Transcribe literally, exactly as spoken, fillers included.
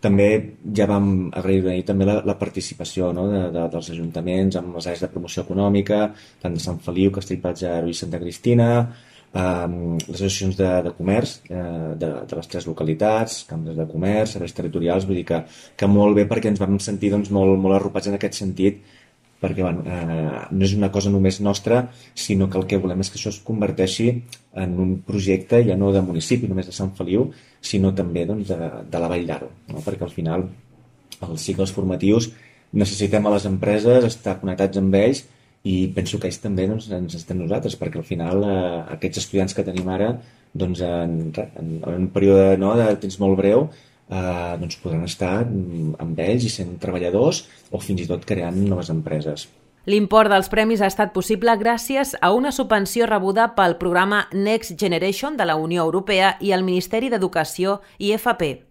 També ja vam agrair també la, la participació, no? de, de, dels ajuntaments amb les àrees de promoció econòmica, tant de Sant Feliu, Castellplatja i Santa Cristina, eh, les associacions de, de comerç eh, de, de les tres localitats, cambres de comerç, serveis territorials, vull dir que, que molt bé perquè ens vam sentir doncs, molt, molt arropats en aquest sentit, perquè bueno, eh, no és una cosa només nostra, sinó que el que volem és que això es converteixi en un projecte ja no de municipi, només de Sant Feliu, sinó també doncs, de, de la Vall d'Aro, no? Perquè al final els cicles formatius necessitem a les empreses estar connectats amb ells i penso que ells també doncs, ens estem nosaltres, perquè al final eh, aquests estudiants que tenim ara doncs, en, en, en un període no, de temps molt breu eh, doncs podran estar amb ells i sent treballadors o fins i tot creant noves empreses. L'import dels premis ha estat possible gràcies a una subvenció rebuda pel programa Next Generation de la Unió Europea i el Ministeri d'Educació i F P.